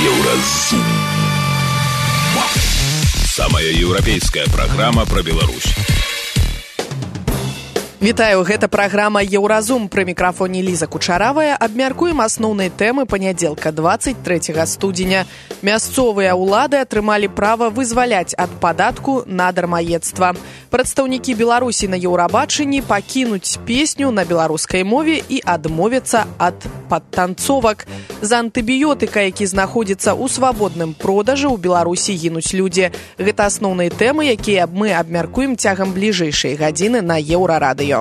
Еўразум. Самая еўрапейская праграма пра Беларусь. Вітаю, гэта праграма «Еўразум». Пры мікрафоне Ліза Кучаравая. Абмяркуем асноўныя тэмы панядзелка 23 студзеня. Мясцовыя ўлады атрымалі права вызваляць ад падатку на дармаедства. Прадстаўнікі Беларусі на Еўрабачанні пакінуць песню на беларускай мове і адмовяцца ад падтанцовак. За антыбіётыка, які знаходзіцца ў свабодным продажы, у Беларусі гінуць людзі. Гэта асноўныя тэмы, якія мы абмяркуем цягам бліжэйшай гадзіны на Еўрарадыё.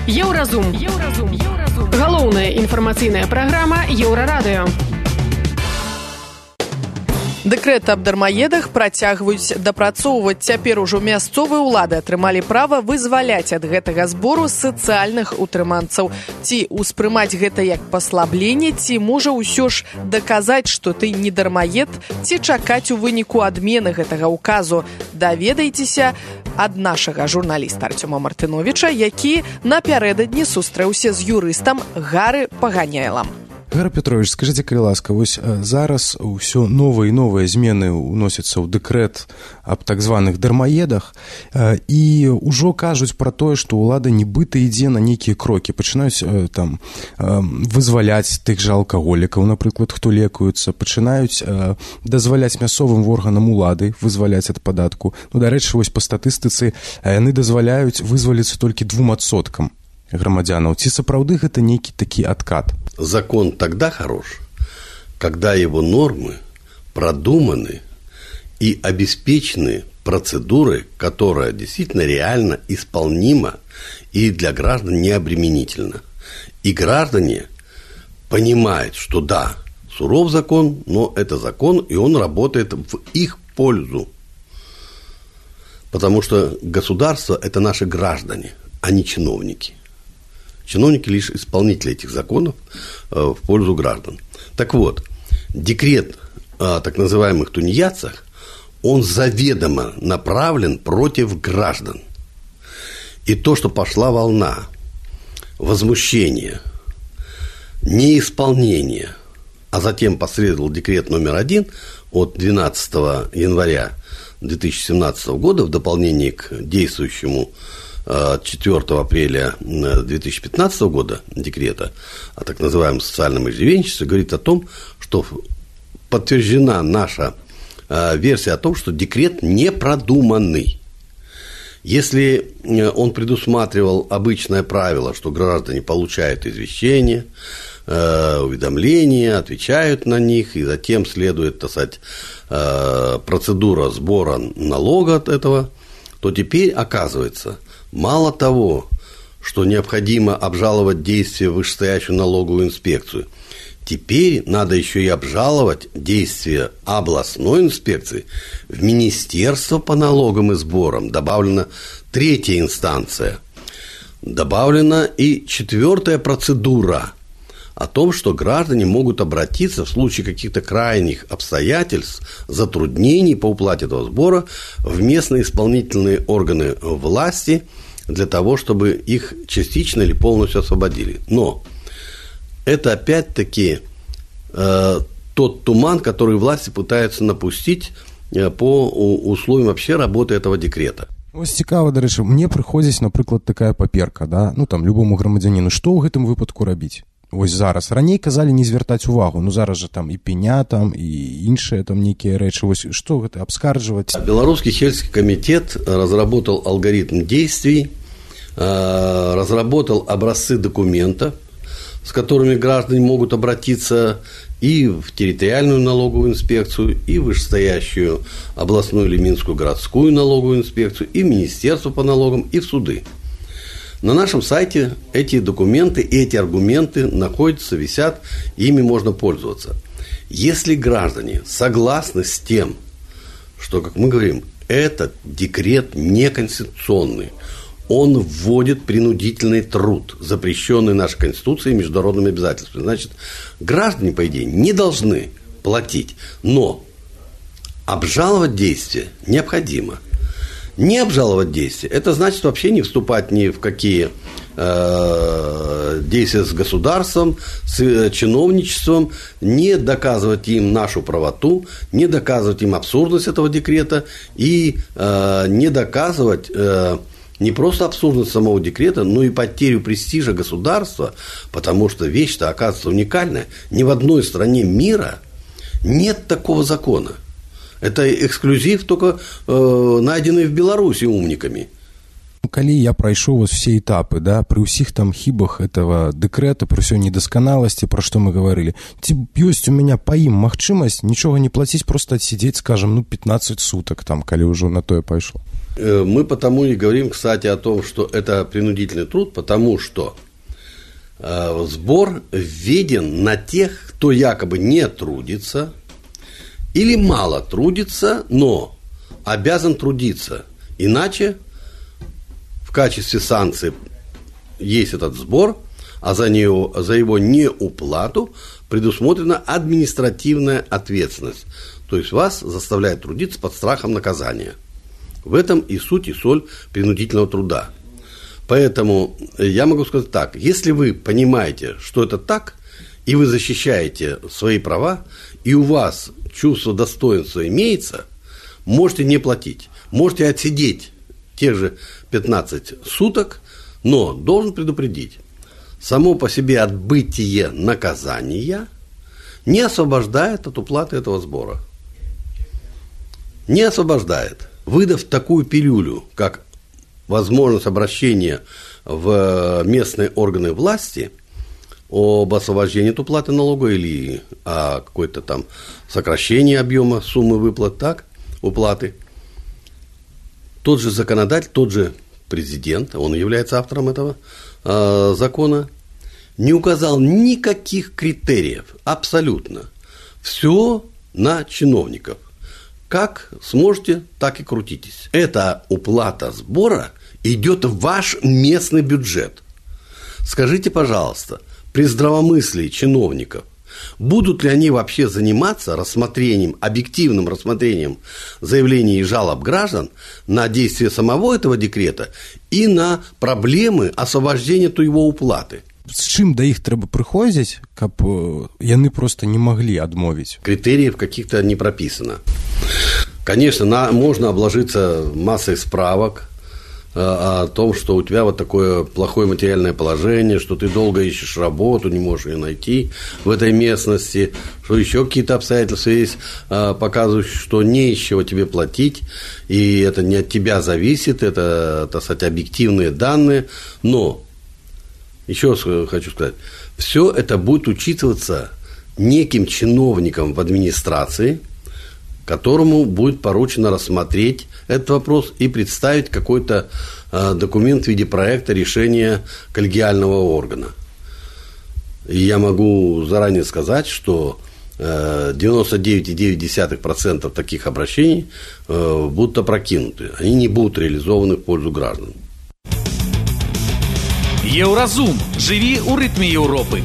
Еўразум. Галоўная інфармацыйная праграма Еўрарадыё. Дэкрэт аб дармаедах працягваюць дапрацоўваць. Цяпер ужо мясцовыя ўлады атрымалі права вызваляць ад гэтага збору сацыяльных утрыманцаў. Ці ўспрымаць гэта як паслабленне, ці можа ўсё ж даказаць, што ты не дармаед, ці чакаць у выніку адмены гэтага ўказу. Даведайцеся ад нашага журналіста Артёма Мартыновіча, які напярэдадні сустрэўся з юрыстам Гары Паганяйлам. Гара Петрович, скажите, калі ласка, вось зараз ўсё новыя і новыя змены ўносяцца ў дэкрэт аб так званых дармаедах, і ўжо кажуць пра тое, што ўлада нібыта ідзе на нейкія крокі, пачынаюць там вызваляць тых жа алкаголікаў, напрыклад, хто лекуецца, пачынаюць дазваляць мясцовым органам улады вызваляць ад падатку. Ну, дарэчы, вось па статыстыцы яны дазваляюць вызваліцца толькі 2% грамадзянаў. Ці сапраўды гэта нейкі такі адкат? Закон тогда хорош, когда его нормы продуманы и обеспечены процедурой, которая действительно реально исполнима и для граждан необременительна. И граждане понимают, что да, суров закон, но это закон, и он работает в их пользу. Потому что государство – это наши граждане, а не чиновники. Чиновники лишь исполнители этих законов в пользу граждан. Так вот, декрет о так называемых тунеядцах, он заведомо направлен против граждан. И то, что пошла волна возмущения, неисполнения, а затем последовал декрет номер 1 от 12 января 2017 года в дополнение к действующему 4 апреля 2015 года декрета о так называемом социальном иждивенчестве говорит о том, что подтверждена наша версия о том, что декрет не продуманный. Если он предусматривал обычное правило, что граждане получают извещения, уведомления, отвечают на них, и затем следует, так сказать, процедура сбора налога от этого, то теперь оказывается, мало того, что необходимо обжаловать действия вышестоящую налоговую инспекцию, теперь надо еще и обжаловать действия областной инспекции в Министерство по налогам и сборам. Добавлена 3-я инстанция. Добавлена и 4-я процедура о том, что граждане могут обратиться в случае каких-то крайних обстоятельств, затруднений по уплате этого сбора в местные исполнительные органы власти для того, чтобы их частично или полностью освободили. Но это опять-таки тот туман, который власти пытаются напустить по условиям вообще работы этого декрета. Ось цікава, дарэчы, мне прыходзіць, напрыклад, такая паперка, да? Ну, там, любому грамадзяніну, што ў гэтым выпадку рабіць? Вось зараз. Раней казалі не звяртаць увагу, ну зараз жа там і пеня, там, і іншыя там нейкія рэчы. Вось што гэта, абскарджваць? Белорусский сельский комитет разработал алгоритм действий, разработал образцы документов, с которыми граждане могут обратиться и в территориальную налоговую инспекцию, и в вышестоящую областную или минскую городскую налоговую инспекцию, и в Министерство по налогам, и в суды. На нашем сайте эти документы и эти аргументы находятся, висят, ими можно пользоваться. Если граждане согласны с тем, что, как мы говорим, этот декрет неконституционный, он вводит принудительный труд, запрещенный нашей Конституцией и международными обязательствами. Значит, граждане, по идее, не должны платить, но обжаловать действия необходимо. Не обжаловать действия – это значит вообще не вступать ни в какие действия с государством, с чиновничеством, не доказывать им нашу правоту, не доказывать им абсурдность этого декрета и не доказывать не просто абсурдность самого декрета, но и потерю престижа государства, потому что вещь-то оказывается уникальная. Ни в одной стране мира нет такого закона. Это эксклюзив, только найденный в Беларуси умниками. Калі я прайшоў все этапы, да, пры ўсіх там хібах этого дэкрэта, пры ўсёй недасканаласці, пра што мы гаварылі, ці ёсць у меня па ім магчымасць нічога не плаціць, просто отсидеть, скажем, 15 суток, там, калі ўжо на тое пайшло? Мы потому и говорим, кстати, о том, что это принудительный труд, потому что сбор введен на тех, кто якобы не трудится или мало трудится, но обязан трудиться, иначе в качестве санкции есть этот сбор, а за его неуплату предусмотрена административная ответственность. То есть вас заставляют трудиться под страхом наказания. В этом и суть, и соль принудительного труда. Поэтому я могу сказать так, если вы понимаете, что это так, и вы защищаете свои права, и у вас чувство достоинства имеется, можете не платить, можете отсидеть тех же 15 суток, но должен предупредить, само по себе отбытие наказания не освобождает от уплаты этого сбора. Не освобождает. Выдав такую пилюлю, как возможность обращения в местные органы власти об освобождении от уплаты налога или о какой-то там сокращении объема суммы выплат, так, уплаты, тот же законодатель, тот же президент, он является автором этого закона, не указал никаких критериев, абсолютно. Все на чиновников. Как сможете, так и крутитесь. Эта уплата сбора идет в ваш местный бюджет. Скажите, пожалуйста, при здравомыслии чиновников, будут ли они вообще заниматься рассмотрением, объективным рассмотрением заявлений и жалоб граждан на действие самого этого декрета и на проблемы освобождения от его уплаты? З чым да іх трэба прыходзіць, каб яны просто не маглі адмовіць? Критериев каких-то не прописано. Конечно, можно обложиться массой справок о том, что у тебя вот такое плохое материальное положение, что ты долго ищешь работу, не можешь ее найти в этой местности, что еще какие-то обстоятельства есть, показывающие, что не из чего тебе платить, и это не от тебя зависит, это, так сказать, объективные данные, но еще раз хочу сказать, все это будет учитываться неким чиновником в администрации, которому будет поручено рассмотреть этот вопрос и представить какой-то документ в виде проекта решения коллегиального органа. И я могу заранее сказать, что 99,9% таких обращений будут опрокинуты, они не будут реализованы в пользу граждан. Еўразум. Жыві ў рытме Еўропы.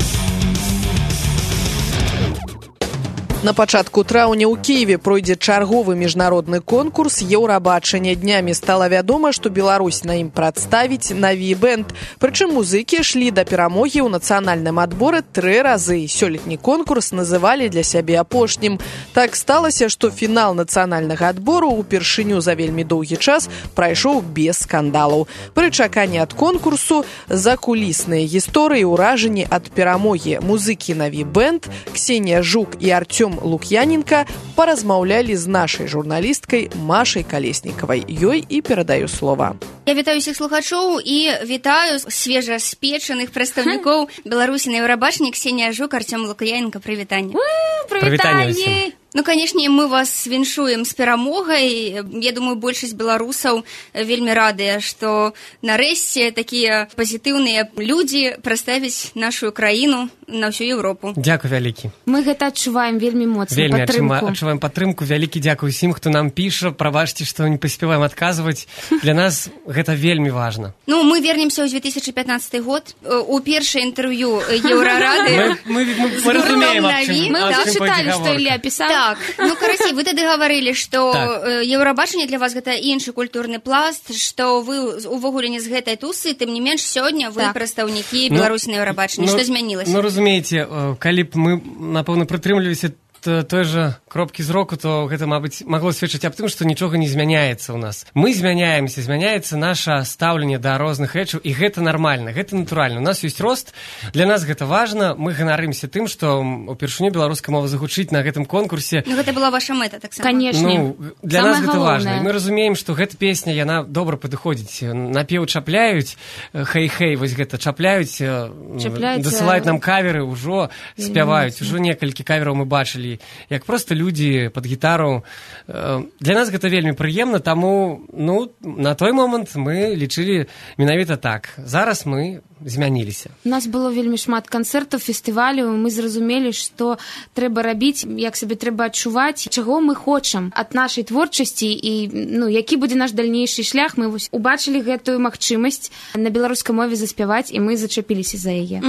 На пачатку траўня ў Кіеве пройдзе чарговы міжнародны конкурс Еўрабачання. Днямі стала вядома, што Беларусь на ім прадставіць наві бэнд. Прычым музыкі шлі да перамогі ў нацыянальным адборы 3 разы. Сёлетні конкурс называлі для сябе апошнім. Так сталася, што фінал нацыянальнага адбору ўпершыню за вельмі доўгі час прайшоў без скандалаў. Пры чаканні ад конкурсу закулісныя гісторыі, ўражанні ад перамогі. Музыкі наві бэнд Ксенія Жук і Артём Лук'яненко паразмаўлялі з нашай журналісткай Машай Калеснікавай. Ёй і перадаю слова. Я вітаю всіх слухачоў і вітаю свежаспечаных прадстаўнікоў Беларусі на Еўрабачанні. Ксенія Жук, Артём Лук'яненко, прывітанне. Прывітанне. Ну, канешне, мы вас віншуем з перамогай. Я думаю, большасць беларусаў вельмі радыя, што нарэшце такія пазітыўныя людзі прадставяць нашу краіну на всю Еўропу. Дзякуй вялікі. Мы гэта адчуваем вельмі моцна, вельмі падтрымку. адчуваем падтрымку. Вялікі дзякуй усім, хто нам піша. Прабачце, што не паспяваем адказваць. Для нас гэта вельмі важна. Ну, мы вернемся ў 2015 год. У першае інтэрв'ю Еўрарады. Мы разумеем, аб чым. Мы ўжо чыталі, што Ілля пісаў. Так, ну, карацей, вы тады гаварылі, што Еўрабачанне для вас гэта іншы культурны пласт, што вы увогуле не з гэтай тусы, тым не менш сёння вы прадстаўнікі Беларусі на Еўрабачанні. Што змянілася? Ну, разумееце, калі б мы, напэўна, прытрымліваліся той же кропкі зроку, то гэта, мабыць, магло сведчыць аб тым, што нічога не змяняецца ў нас. Мы змяняемся, змяняецца наша стаўленне да розных рэчаў, і гэта нармальна, гэта натуральна. У нас ёсць рост, для нас гэта важна, мы ганарымся тым, што упершыню беларуская мова загучыць на гэтым конкурсе. Ну, гэта была ваша мэта, таксама. Канешне. Ну, для нас гэта важна. І мы разумеем, што гэта песня, яна добра падыходзіць. Напеў чапляюць, хэй-хэй, вось гэта чапляюць, дасылаюць нам каверы, ўжо спяваюць, ужо некалькі кавераў мы бачылі, як проста людзі пад гітару. Для нас гэта вельмі прыемна, таму, ну, на той момант мы лічылі менавіта так. Зараз мы змяніліся. У нас было вельмі шмат канцэртаў, фестываляў, мы зразумелі, што трэба рабіць, як сабе трэба адчуваць, чаго мы хочам ад нашай творчасці і, ну, які будзе наш дальнейшы шлях. Мы вось убачылі гэтую магчымасць на беларускай мове заспяваць, і мы зачапіліся за яе.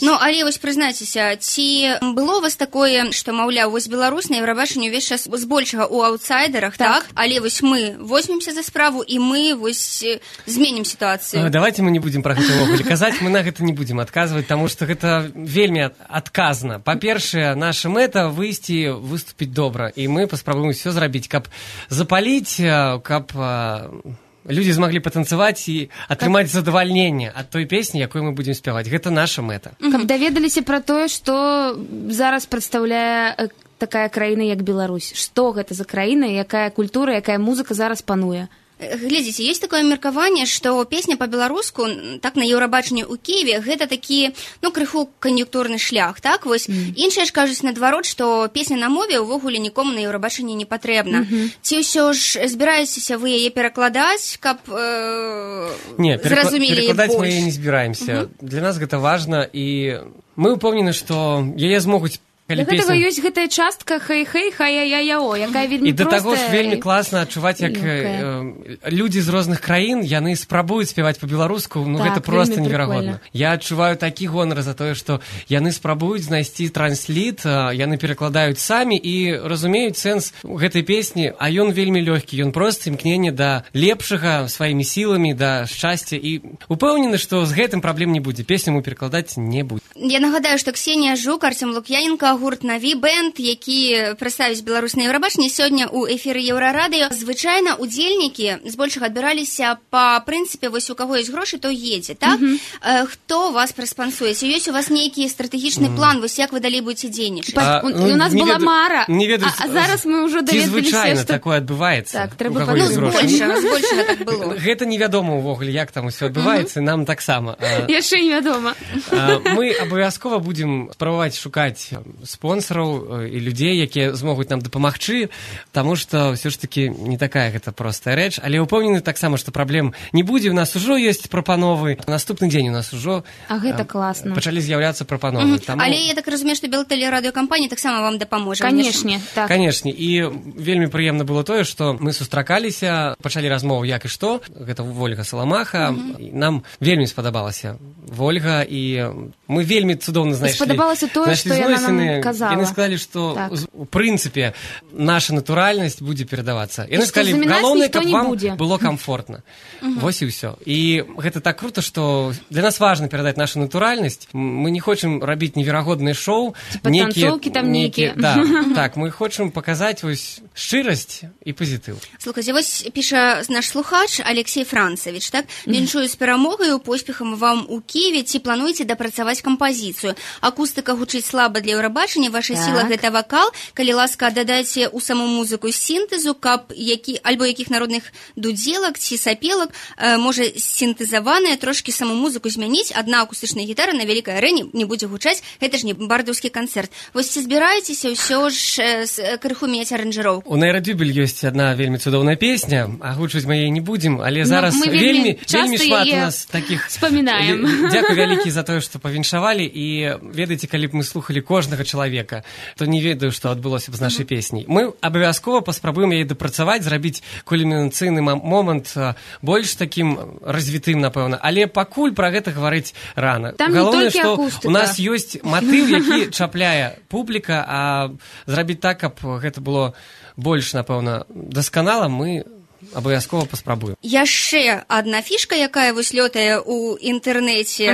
Ну, але вось прызнайцеся, ці было у вас такое, што, маўляў, вось Беларусь на Еўрабачанні ўвесь час збольшага ў аўтсайдерах, так? Але вось мы возьмемся за справу, і мы вось зменім сітуацыю. Давайте мы не будзем пра гэта ўвогуле казаць. Мы на гэта не будзем адказваць, таму што гэта вельмі адказна. Па-першае, наша мэта выйсці, выступіць добра, і мы паспрабуем усё зрабіць, каб запаліць, каб людзі змаглі патанцаваць і атрымаць задавальненне ад той песні, якой мы будзем спяваць. Гэта наша мэта. Каб даведаліся пра тое, што зараз прадстаўляе такая краіна, як Беларусь. Што гэта за краіна, якая культура, якая музыка зараз пануе. Глядзіце, ёсць такое меркаванне, што песня па-беларуску, так, на Еўрабачанні ў Кіеве, гэта такі, ну, крыху кан'юнктурны шлях, так, вось. Іншыя ж кажуць наадварот, што песня на мове ўвогуле нікому на Еўрабачанні не патрэбна. Ці ўсё ж збіраецеся вы яе перакладаць, каб зразумелі яе больш? Перакладаць мы яе не збіраемся. Для нас гэта важна, і мы ўпэўнены, што яе змогуць. Для гэтага ёсць гэтая частка хэй-хэй, хай-я-я-я-о, якая вельмі простая. І да таго ж вельмі класна адчуваць, як людзі з розных краін, яны спрабуюць спяваць па-беларуску, ну гэта проста неверагодна. Я адчуваю такі гонар за тое, што яны спрабуюць знайсці трансліт, яны перакладаюць самі і разумеюць сэнс гэтай песні, а ён вельмі лёгкі, ён проста імкненне да лепшага сваімі сіламі, да шчасця, і упэўнены, што з гэтым праблем не будзе, песню мы перакладаць не будзе. Я нагадаю, што Ксенія Жук, Артём Лук'яненко, гурт «Наві бэнд», які прадставіць Беларусь на Еўрабачанні сёння ў эфіры Еўрарадыё. Звычайна удзельнікі збольшага адбіраліся па прынцыпе, вось у каго ёсць грошы, то едзе, так? Хто вас праспансуе? Ці ёсць у вас нейкі стратэгічны план, вось як вы далей будзеце дзейнічаць? У нас была мара, а зараз мы ўжо даведаліся, што... Звычайна такое адбываецца. Так, трэба збольшага так было. Гэта невядома ўвогуле, як там усё адбываецца, нам таксама. Яшчэ невядома. Мы абавязкова будзем спрабаваць шукаць спонсораў і людзей, якія змогуць нам дапамагчы, таму што ўсё ж такі не такая гэта простая рэч, але ўпэўнены таксама, што праблем не будзе. У нас ужо ёсць прапановы. Наступны дзень у нас ужо пачалі з'яўляцца прапановы. Але я так разумею, што Белтэлерадыёкампанія таксама вам дапаможа. Канешне, так. Канешне, і вельмі прыемна было тое, што мы сустракаліся, пачалі размову як і што. Гэта Вольга Саламаха. Нам вельмі спадабалася Вольга, і мы вельмі цудоўна знайшлі. Спадабалася тое, што яна нам казала. Яны сказалі, што у прынцыпе наша натуральнасць будзе перадавацца. Яны сказалі, галоўнае, каб вам было комфортна. Вось і ўсё. І гэта так круто, што для нас важна перадаць нашу натуральнасць. Мы не хочам рабіць неверагодныя шоу, танцоўкі там нейкія. Так, мы хочам паказаць вось шчырасць і пазітыў. Слухайце, вось піша наш слухач Алексей Францевич, так? Віншую з перамогаю, поспехам вам у Киеве. Ці плануеце дапрацаваць кампазіцыю? Акустыка гучыць слаба для Еўрабачання, ваша сіла гэта вакал. Калі ласка, дадайце ў саму музыку сінтэзу, каб альбо якіх народных дудзелак ці сапелак, можа сінтэзаваная, трошкі саму музыку змяніць, адна акустычная гітара на вялікай арэне не будзе гучаць, гэта ж не бардаўскі канцэрт. Вось ці збіраецеся ўсё ж крыху мець аранжыроўку? У Найрадюбель ёсць адна вельмі цудоўная песня, агучваць мы яе не будзем, але зараз вельмі шмат у нас такіх... Вспоминаем. Дзякуй вялікі за тое, што павіншавалі, і ведаеце, калі б мы слухалі кожнага чалавека, то не ведаю, што адбылося б з нашай песняй. Мы абавязкова паспрабуем яе дапрацаваць, зрабіць кульмінацыйны момант больш такім развітым, напэўна, але пакуль пра гэта гаварыць рана. Галоўнае, што у нас ёсць матыў, які чапляе публіка, а зрабіць так, каб гэта было больш, напэўна, дасканала, мы абавязкова паспрабуем. Яшчэ адна фішка, якая вось лётае ў інтэрнэце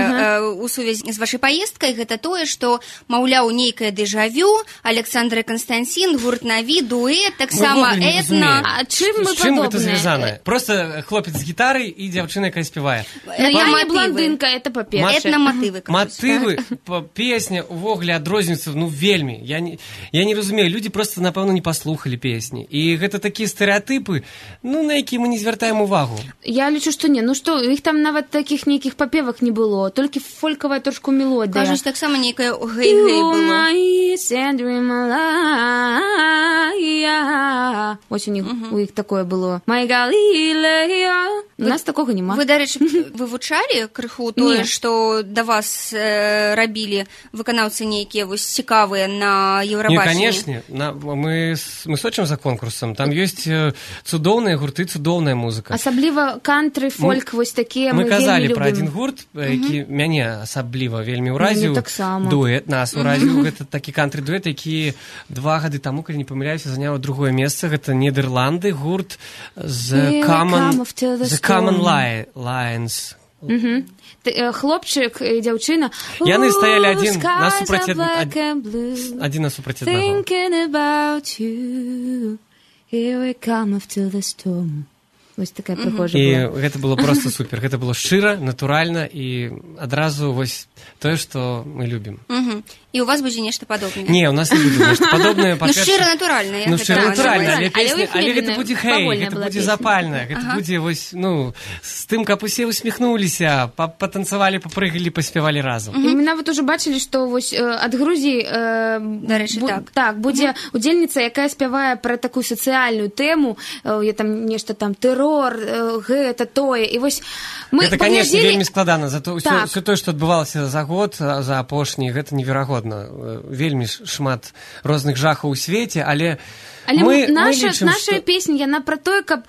у сувязі з вашай паездкай, гэта тое, што, маўляў, нейкае дэжавю, Александр і Константин, гурт «Наві», дуэт, таксама этна. А чым мы чым падобныя? гэта звязанае? Просто хлопец з гітарай і дзяўчына, якая спявае. Я не блондинка, это па-першае. Этна-матывы. Матывы, песня увогуле адрозніваюцца, ну, вельмі. Я не разумею, людзі просто, напэўна, не паслухалі песні. І гэта такія стэрэатыпы, ну, на які мы не звяртаем увагу. Я лічу, што не. Ну што, іх там нават такіх нейкіх папевак не было, толькі фолькавая трошку мелодыя. Кажуць, таксама нейкае гэй-гэй было. Ось у іх такое было. My Galileo. У нас такога няма. Вы, дарэчы, вывучалі крыху тое, што да вас рабілі выканаўцы нейкія вось цікавыя на Еўрабачанні? Не, канешне. Мы сочым за конкурсам. Там ёсць цудоўныя гурты, цудоўная музыка. Асабліва кантры, фольк, вось такія мы вельмі любім. Мы казалі пра адзін гурт, які мяне асабліва вельмі ўразіў. Дуэт нас ўразіў. Гэта такі кантры-дуэт, які 2 гады таму, калі не памыляюся, заняў другое месца. Гэта Нідерланды, гурт The Common Lions. Хлопчык і дзяўчына. Яны стаялі адзін насупраць аднаго. Thinking about you. Here we come after the storm. Вось такая прыгожая была. І гэта было просто супер. Гэта было шчыра, натуральна і адразу вось тое, што мы любім. І у вас будзе нешта падобнае? Не, у нас не будзе нешта падобнае. Ну, шчыра натуральна. Ну, шчыра натуральна, але гэта будзе хэй, гэта будзе запальна. Гэта будзе вось, ну, з тым, каб усе усміхнуліся, патанцавалі, папрыгалі, паспявалі разам. І мы нават ужо бачылі, што вось ад Грузіі, дарэчы, так, будзе удзельніца, якая спявае пра такую сацыяльную тэму, там нешта там тэрор, гэта тое. І вось мы гэта, канешне, вельмі складана. Все тое, што адбывалася за год, за апошні, гэта неверагодна. Вельмі шмат розных жахаў у свеце, але наша песня, яна пра тое, каб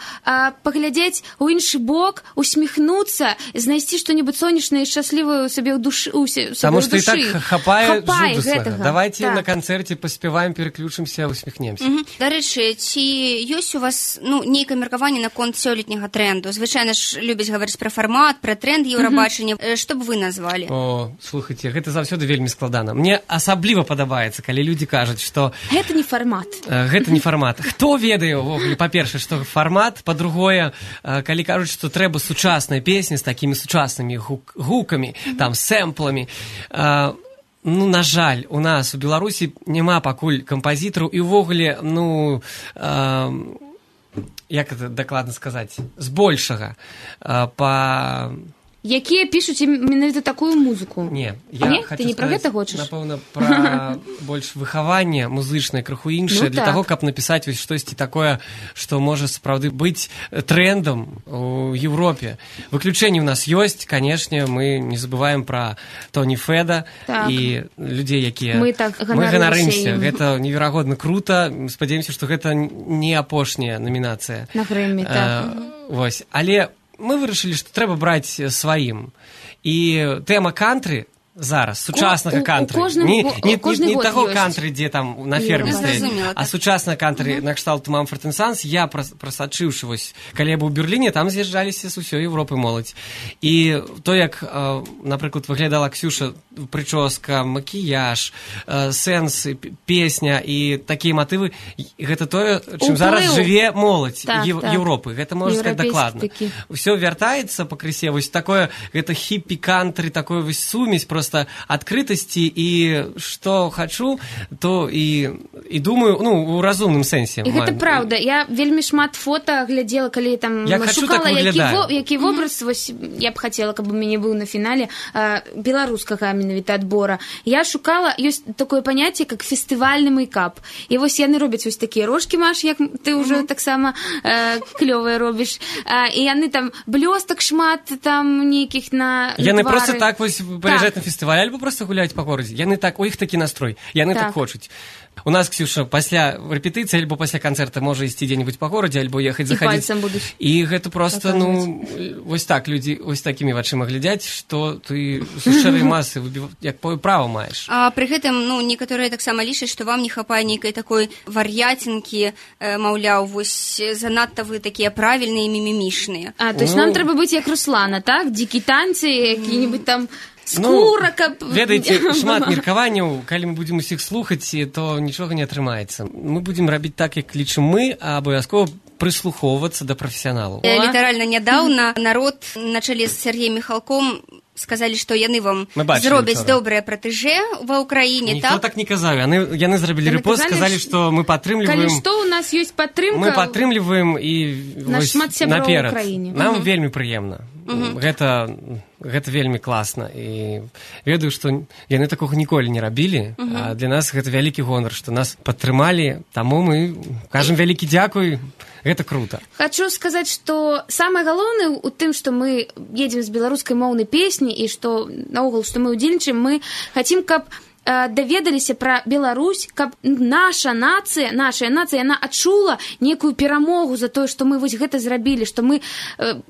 паглядзець у іншы бок, усміхнуцца, знайсці што-небудзь сонечнае і шчаслівае ў сабе ў душы. Таму што і так хапае жудаснага. Давайце на канцэрце паспяваем, пераключымся, усміхнемся. Дарэчы, ці ёсць у вас нейкае меркаванне наконт сёлетняга трэнду? Звычайна ж любяць гаварыць пра фармат, пра трэнд Еўрабачання. Што б вы назвалі? О, слухайце, гэта заўсёды вельмі складана. Мне асабліва падабаецца, калі людзі кажуць, што... Гэта не фармат. Гэта не фармат. Хто ведае, па-першае, што фармат, па-другое, калі кажуць, што трэба сучасная песня з такімі сучаснымі гукамі, там, сэмпламі. Ну, на жаль, у нас у Беларусі няма пакуль кампазітараў і ўвогуле, як гэта дакладна сказаць, збольшага якія пішуць менавіта такую музыку. Не, я хочу сказаць, напэўна, пра больш выхаванне музычнае, крыху іншае, для таго, каб напісаць вось штосьці такое, што можа сапраўды быць трэндам у Еўропе. Выключэнні ў нас ёсць, канешне, мы не забываем пра Тоні Феда і людзей, якія... Мы ганарымся. Гэта неверагодна крута. Спадзяёмся, што гэта не апошняя намінацыя. На Грэмі, так. Вось, але мы вырашылі, што трэба браць сваім. І тэма кантры зараз, сучаснага кантры, не таго кантры, дзе там на ферме стаіць, а сучаснага кантры на кшталт Мамфорд & Санс, я прасачыўшы, вось, калі я быў у Берліне, там з'язджаліся з усёй Еўропы моладзь. І то, як, напрыклад, выглядала Ксюша, прычоска, макіяж, сэнс, песня і такія матывы, гэта тое, чым зараз жыве моладзь Еўропы. Гэта можна сказаць дакладна. Усё вяртаецца пакрысе, вось такое, гэта хіппі-кантры, такое вось сумесь, просто просто открытости, и что хочу, то и думаю, ну, у разумным сэнсе. І гэта праўда. Я вельмі шмат фота глядзела, калі там шукала, які вобраз, вось, я б хацела, каб у мяне быў на фінале беларускага менавіта адбора. Я шукала, ёсць такое паняцце, як фестывальны мейкап. І вось яны робяць вось такія рожкі, Маш, як ты ўжо таксама клёвыя робіш. І яны там блёстак шмат, там нейкіх на твары. Яны просто так вось прыязджаюць на фестываль, альбо просто гуляюць па горадзе. Яны так, у іх такі настрой, яны так хочуць. У нас, Ксюша, пасля рэпетыцыі альбо пасля канцэрта можа ісці дзе-нибудь па горадзе, альбо ехаць захадзіць. І гэта просто, ну, вось так, людзі вось такімі вачыма глядзяць, што ты з шэрай масы як права маеш. А пры гэтым, ну, некаторыя таксама лічаць, што вам не хапае нейкай такой вар'яцінкі, маўляў, вось занадта вы такія правільныя і мімімішныя. То есть нам трэба быць як Руслана, так? Дзікі танцы, які-нибудь там... Скура, каб... Ведаеце, шмат меркаванняў, калі мы будзем усіх слухаць, то нічога не атрымаецца. Мы будзем рабіць так, як лічым мы, а абавязкова прыслухоўвацца да прафесіяналаў. Літаральна нядаўна народ на чале з Сергеем Міхалком сказалі, што яны вам зробяць добрае пратэжэ ва ўкраіне, так? Ніхто так не казаў. Яны зрабілі рэпост, сказалі, што мы падтрымліваем... Калі што, у нас ёсць падтрымка... Мы падтрымліваем і наперад. Нам вельмі прыемна. Гэта вельмі класна. І ведаю, што яны такога ніколі не рабілі, а для нас гэта вялікі гонар, што нас падтрымалі, таму мы кажам вялікі дзякуй. Гэта круто. Хочу сказаць, што самае галоўнае у тым, што мы едзем з беларускай моўнай песні і што наогул, што мы ўдзельнічаем, мы хацім, каб даведаліся пра Беларусь, каб нашая нацыя, яна адчула некую перамогу за тое, што мы вось гэта зрабілі, што мы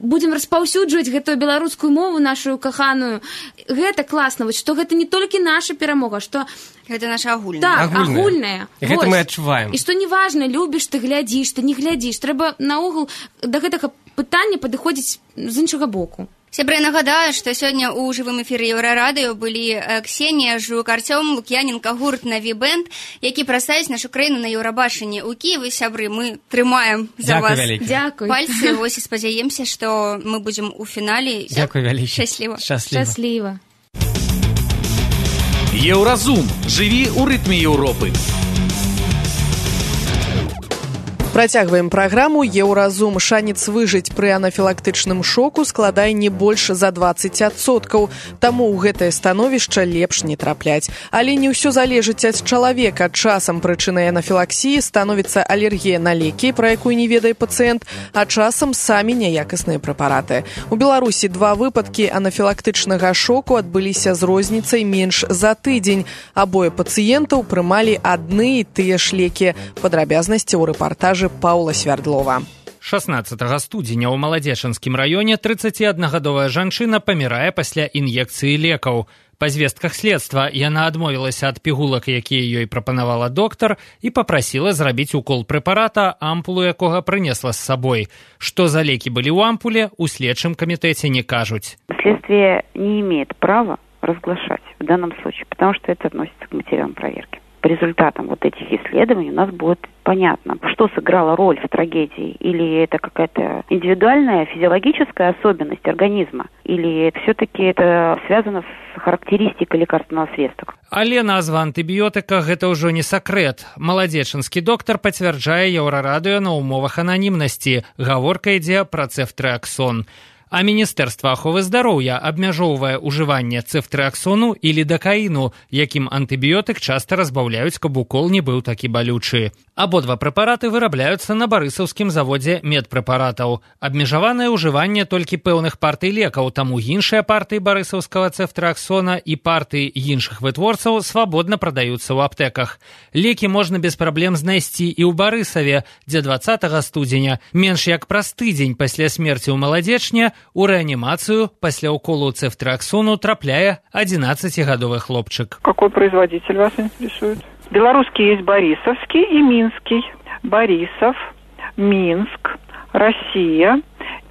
будзем распаўсюджваць гэтую беларускую мову, нашу каханую. Гэта класна, вось, што гэта не толькі наша перамога, што гэта наша агульная. Так, агульная. Гэта мы адчуваем. І што неважна, любіш ты, глядзіш, ты не глядзіш. Трэба наогул да гэтага пытання падыходзіць з іншага боку. Сябры, нагадаю, што сёння ў жывым эфіры Еўрарадыё былі Ксенія Жук, Артём Лук'яненка, гурт «Наві бэнд», які прадставіць нашу краіну на Еўрабачанні ў Кіеве. Сябры, мы трымаем за вас пальцы, вось і спадзяемся, што мы будзем у фінале. Дзякуй вялікі. Шчасліва. Еўразум. Жыві ў рытме Еўропы. Працягваем праграму «Еўразум». Шанец выжыць пры анафілактычным шоку складае не больш за 20%. Таму ў гэтае становішча лепш не трапляць. Але не ўсё залежыць ад чалавека. Часам прычынай анафілаксіі становіцца алергія на лекі, пра якую не ведае пацыент, а часам самі няякасныя прэпараты. У Беларусі 2 выпадкі анафілактычнага шоку адбыліся з розніцай менш за тыдзень. Абое пацыентаў прымалі адны і тыя ж лекі. Падрабязнасці ў рэпартажы Паўла Свярдлова. 16 студзеня ў Маладзечанскім раёне 31гадовая жанчына памірае пасля ін'екцыі лекаў. Па звестках следства яна адмовілася ад пігулак, якія ёй прапанавала доктар, і папрасіла зрабіць укол прэпарата, ампулу якога прынесла з сабой. Што за лекі былі ў ампуле, у следчым камітэце не кажуць. Следствие не имеет права разглашать в данном случае, потому что это относится к материалам проверки. По результатам вот этих исследований у нас будет понятно, что сыграло роль в трагедии. Или это какая-то индивидуальная физиологическая особенность организма, или все-таки это связано с характеристикой лекарственного средства. Але назва антыбіётыка гэта ўжо не сакрэт. Маладзечанскі доктар пацвярджае Еўрарадыё на умовах ананімнасці. Гаворка ідзе пра цефтрыаксон. А Міністэрства аховы здароўя абмяжоўвае ўжыванне цефтрыаксону і лідакаіну, якім антыбіётык часта разбаўляюць, каб укол не быў такі балючы. Абодва прэпараты вырабляюцца на барысаўскім заводзе медпрэпаратаў. Абмежаванае ўжыванне толькі пэўных партый лекаў, таму іншыя партыі барысаўскага цефтрыаксона і партыі іншых вытворцаў свабодна прадаюцца ў аптэках. Лекі можна без праблем знайсці і ў Барысаве, дзе 20 студзеня, менш як праз тыдзень пасля смерці ў Маладзечне, у рэанімацыю пасля уколу цефтрыаксону трапляе 11гадовы хлопчык. Какой производитель вас интересует? Белорусский есть Борисовский и Минский. Борисов, Минск, Россия.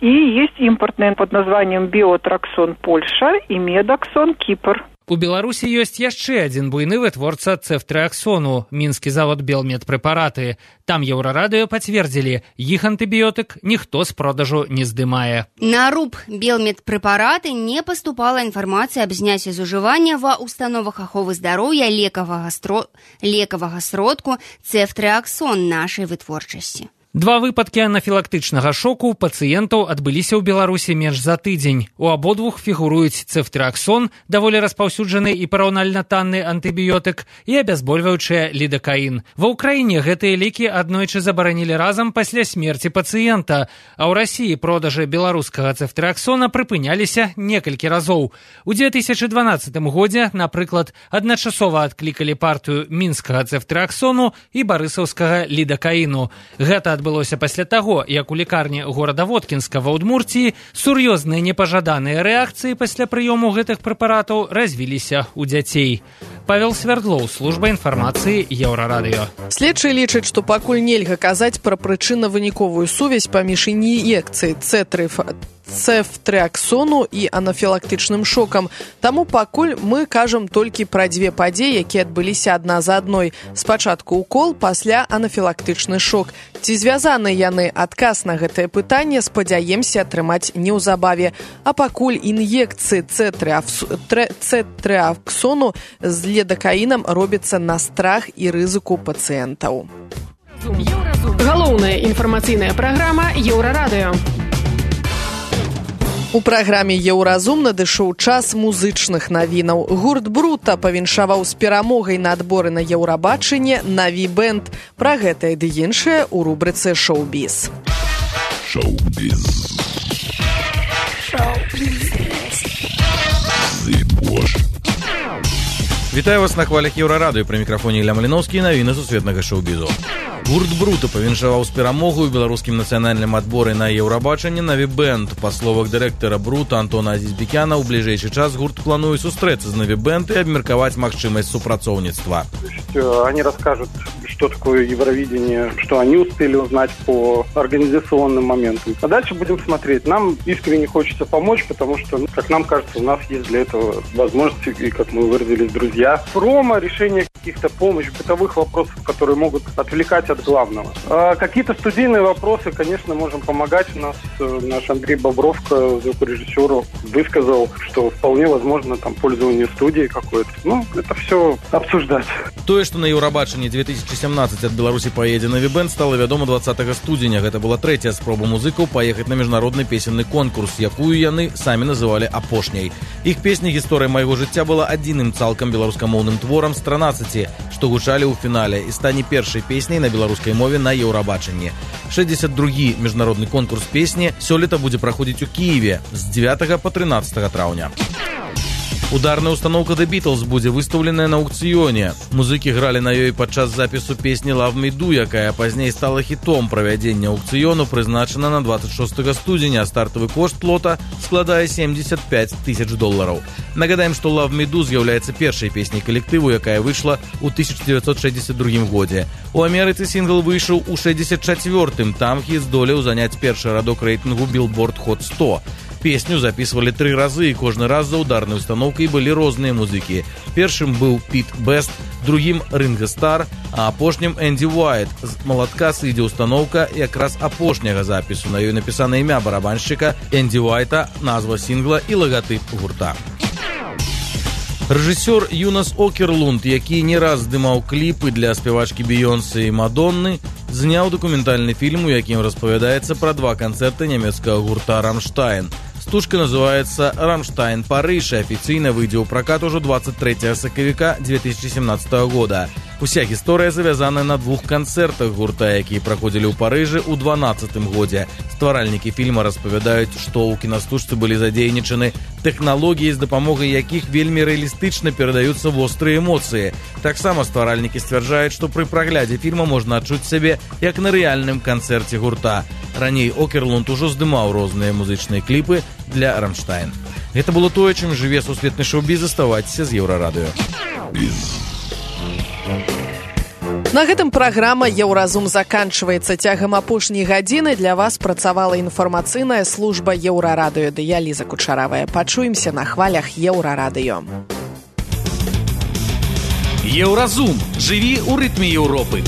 И есть импортный под названием Биотраксон Польша и Медоксон Кипр. У Беларусі ёсць яшчэ адзін буйны вытворца цефтрыаксону – мінскі завод «Белмедпрэпараты». Там Еўрарадыё пацвердзілі, іх антыбіётык ніхто з продажу не здымае. На РУП «Белмедпрэпараты» не паступала інфармацыя аб зняцці з ужывання ва установах аховы здароўя лекавага сродку цефтрыаксон нашай вытворчасці. Два выпадкі анафілактычнага шоку у пацыентаў адбыліся ў Беларусі менш за тыдзень. У абодвух фігуруюць цефтрыаксон, даволі распаўсюджаны і параўнальна танны антыбіётык, і абязбольваючыя лідакаін. Ва ўкраіне гэтыя лекі аднойчы забаранілі разам пасля смерці пацыента, а ў Расіі продажы беларускага цефтрыаксона прыпыняліся некалькі разоў. У 2012 годзе, напрыклад, адначасова адклікалі партыю мінскага цефтрыаксону і барысаўскага лідакаіну. Гэта адбылося пасля таго, як у лекарні горада Воткінска ва Удмурціі сур'ёзныя непажаданыя рэакцыі пасля прыёму гэтых прэпаратаў развіліся ў дзяцей. Павел Свердлоў, служба інфармацыі Еўрарадыё. Следчыя лічаць, што пакуль нельга казаць пра прычынна-выніковую сувязь паміж ін'екцыяй цефтрыаксону і анафілактычным шокам. Таму пакуль мы кажам толькі пра дзве падзеі, якія адбыліся адна за адной. Спачатку укол, пасля анафілактычны шок. Ці звязаны яны? Адказ на гэтае пытанне спадзяемся атрымаць неўзабаве. А пакуль ін'екцыі цефтрыаксону з лідакаінам робіцца на страх і рызыку пацыентаў. Галоўная інфармацыйная праграма Еўрарадыё. У праграме «Еўразум» надышоў час музычных навінаў. Гурт «Брута» павіншаваў з перамогай на адборы на Еўрабачанне «Наві Бэнд». Пра гэта і іншае ў рубрыцы «Шоу-біз». Вітаю вас на хвалях Еўрарадыё. Пры мікрафоне Ілля Маліноўскі, навіны сусветнага шоу-бізу. Гурт «Брута» павіншаваў з перамогай у беларускім нацыянальным адборы на Еўрабачанне «Наві Бэнд». Па словах дырэктара «Брута» Антона Азізбекяна, у бліжэйшы час гурт плануе сустрэцца з «Наві Бэнд» і абмеркаваць магчымасць супрацоўніцтва. Они расскажут, что такое Евровидение, что они успели узнать по организационным моментам. А дальше будем смотреть. Нам искренне хочется помочь, потому что, как нам кажется, у нас есть для этого возможности, и, как мы выразились, друзья. Промо, решение каких-то помощи, бытовых вопросов, которые могут отвлекать от главного. А какие-то студийные вопросы, конечно, можем помогать. У нас наш Андрей Бобровко, звукорежиссер, высказал, что вполне возможно там пользование студией какой-то. Ну, это все обсуждать. Тое, што на Еўрабачанні 2017 ад Беларусі паедзе «Наві Бэнд», стала вядома 20 студзеня. Гэта была трэцяя спроба музыкаў паехаць на міжнародны песенны конкурс, якую яны самі называлі апошняй. Іх песня «Гісторыя майго жыцця» была адзіным цалкам беларускамоўным творам з 13, што гучалі ў фінале, і стане першай песняй на беларускай мове на Еўрабачанні. 62-гі міжнародны конкурс песні сёлета будзе праходзіць у Кіеве з 9 па 13 траўня. Ударная установка The Beatles будзе выстаўленая на аукцыёне. Музыкі гралі на ёй падчас запісу песні Love Me Do, якая пазней стала хітом. Правядзення аукцыёну прызначана на 26 студзеня, а стартавы кошт лота складае $75 000. Нагадаем, што Love Me Do з'яўляецца першай песняй калектыву, якая выйшла ў 1962 годзе. У Амерыцы сінгл выйшаў у 64-м, там хіт здолеў заняць першы радок рэйтынгу Billboard Hot 100. Песню записывали 3 разы, і кожны раз за ударнай установкай былі розныя музыкі. Першым быў Піт Бест, другім Ринго Стар, а апошнім Энді Уайт. З малатка сыдзе установка якраз апошняга запісу. На ёй напісана імя барабаншчыка Энді Уайта, назва сінгла і лагатып гурта. Рэжысёр Юнас Окерлунд, які не раз здымаў кліпы для спявачкі Бейонсе і Мадонны, зняў дакументальны фільм, у якім распавядаецца пра 2 канцэрты нямецкага гурта «Рамштайн». Стужка называется «Рамштайн Париж» и официально выйдет в прокат уже 23 сакавіка 2017 года. Уся гісторыя завязана на 2 канцэртах гурта, якія праходзілі ў Парыжы ў 2012 годзе. Стваральнікі фільма распавядаюць, што ў кінастужцы былі задзейнічаны тэхналогіі, з дапамогай якіх вельмі рэалістычна перадаюцца вострыя эмоцыі. Таксама стваральнікі сцвярджаюць, што пры праглядзе фільма можна адчуць сябе як на рэальным канцэрце гурта. Раней Окерлунд ужо здымаў розныя музычныя кліпы для «Рамштайн». Гэта было тое, чым жыве сусветны шоу-біз. Заставайцеся з Еўрарадыё. На гэтым праграма «Еўразум» заканчваецца. Цягам апошняй гадзіны для вас працавала інфармацыйная служба Еўрарадыё. Я Ліза Кучаравая. Пачуемся на хвалях Еўрарадыё. Еўразум. Жыві ў рытме Еўропы.